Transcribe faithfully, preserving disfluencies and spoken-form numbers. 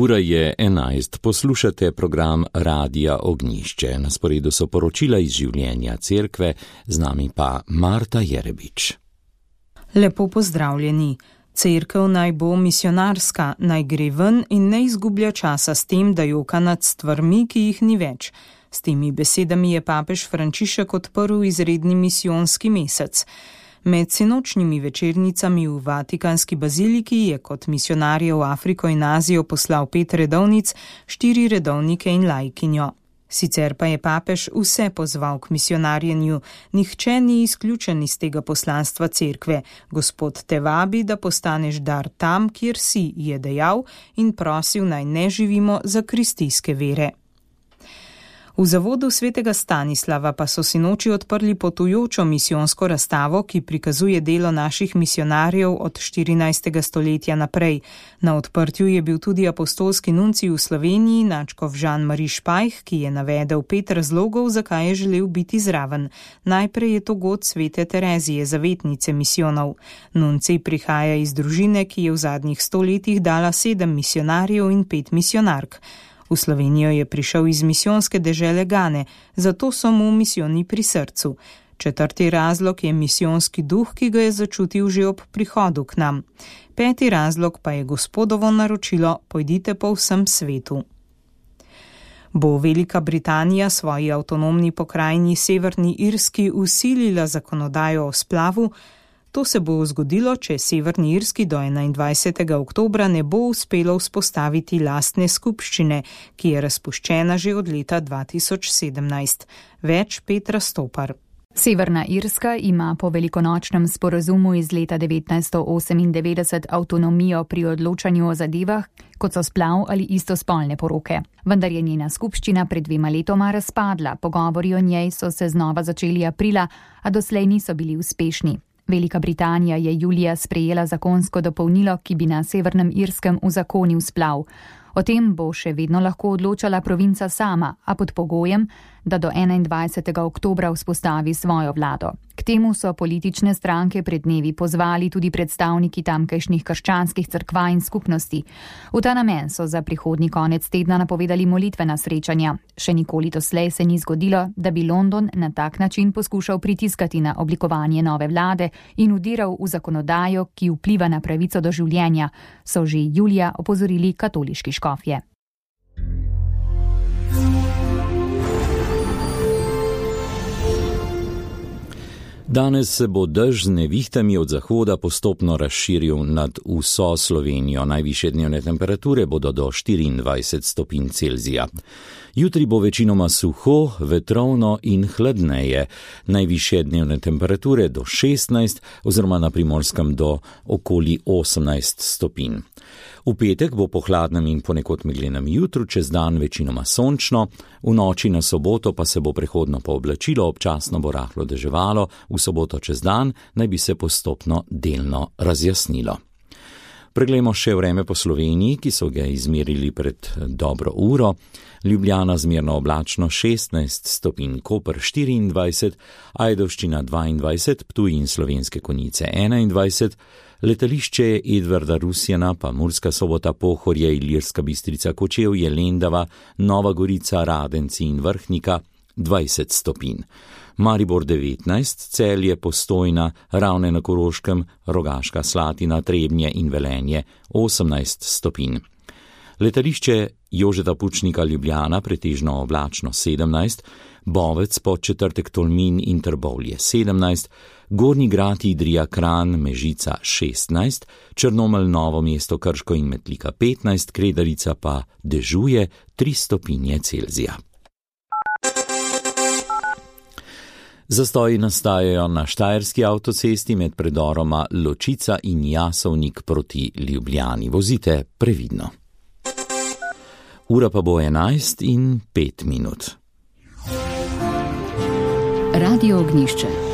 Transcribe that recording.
Ura je enajst, poslušate program Radia Ognjišče. Na sporedu so poročila iz življenja cerkve, z nami pa Marta Jerebič. Lepo pozdravljeni. Cerkev naj bo misionarska, naj gre ven in ne izgublja časa s tem, da joka nad stvarmi, ki jih ni več. S temi besedami je papež Frančišek odprl izredni misijonski mesec. Med sinočnjimi večernicami v Vatikanski baziliki je kot misionarje v Afriko in Azijo poslal pet redovnic, štiri redovnike in laikinjo. Sicer pa je papež vse pozval k misionarjenju, nihče ni izključen iz tega poslanstva cerkve. Gospod te vabi, da postaneš dar tam, kjer si, je dejal in prosil, naj ne živimo za kristijske vere. V zavodu svetega Stanislava pa so sinoči odprli potujočo misijonsko razstavo, ki prikazuje delo naših misionarjev od štirinajstega stoletja naprej. Na odprtju je bil tudi apostolski nuncij v Sloveniji, nadškof Jean-Marie Špajh, ki je navedel pet razlogov, zakaj je želel biti zraven. Najprej je to god svete Terezije, zavetnice misijonov. Nuncij prihaja iz družine, ki je v zadnjih stoletjih dala sedem misionarjev in pet misionark. V Slovenijo je prišel iz misijonske dežele Gane, zato so mu misijoni pri srcu. Četrti razlog je misijonski duh, ki ga je začutil že ob prihodu k nam. Peti razlog pa je Gospodovo naročilo, pojdite po vsem svetu. Bo Velika Britanija svoji avtonomni pokrajini Severni Irski vsilila zakonodajo o splavu? To se bo zgodilo, če Severni Irski do enaindvajsetega oktobra ne bo uspelo vzpostaviti lastne skupščine, ki je razpuščena že od leta dva tisoč sedemnajst. Več Petra Stopar. Severna Irska ima po velikonočnem sporazumu iz leta devetnajststo osemindevetdeset avtonomijo pri odločanju o zadevah, kot so splav ali istospolne poroke. Vendar je njena skupščina pred dvema letoma razpadla, pogovori o njej so se znova začeli aprila, a doslej niso bili uspešni. Velika Britanija je julija sprejela zakonsko dopolnilo, ki bi na Severnem Irskem uzakonil splav. O tem bo še vedno lahko odločala provinca sama, a pod pogojem, da do enaindvajsetega oktobra vzpostavi svojo vlado. K temu so politične stranke pred dnevi pozvali tudi predstavniki tamkajšnjih krščanskih cerkva in skupnosti. V ta namen so za prihodnji konec tedna napovedali molitvena srečanja. Še nikoli doslej se ni zgodilo, da bi London na tak način poskušal pritiskati na oblikovanje nove vlade in vdiral v zakonodajo, ki vpliva na pravico do življenja, so že julija opozorili katoliški škofje. Danes se bo dež z nevihtami od zahoda postopno razširil nad vso Slovenijo. Najvišje dnevne temperature bodo do štiriindvajset stopinj Celzija. Jutri bo večinoma suho, vetrovno in hladneje. Najvišje dnevne temperature do šestnajst oziroma na Primorskem do okoli osemnajst stopinj. V petek bo po hladnem in ponekod meglenem jutru čez dan večinoma sončno, v noči na soboto pa se bo prehodno pooblačilo, občasno bo rahlo deževalo, v soboto čez dan naj bi se postopno delno razjasnilo. Preglejmo še vreme po Sloveniji, ki so ga izmerili pred dobro uro. Ljubljana zmerno oblačno šestnajst stopinj, Koper štiriindvajset, Ajdovščina dvaindvajset, Ptuj in Slovenske Konjice enaindvajset, letališče Edvarda Rusjana pa Murska Sobota, Pohorje, Ilirska Bistrica, Kočevje, Lendava, Nova Gorica, Radenci in Vrhnika dvajset stopinj. Maribor devetnajst, Celje, Postojna, Ravne na Koroškem, Rogaška Slatina, Trebnje in Velenje osemnajst stopinj. Letališče Jožeta Pučnika Ljubljana pretežno oblačno sedemnajst, Bovec pod četrtek Tolmin in Trbovlje sedemnajst, Gornji Grad Idrija Kranj Mežica šestnajst, Črnomelj Novo mesto Krško in Metlika petnajst, Kredarica pa dežuje tri stopinje Celzija. Zastoji nastajajo na Štajerski avtocesti med predoroma Ločica in Jasovnik proti Ljubljani. Vozite previdno. Ura pa bo enajst in pet minut. Radio Ognjišče.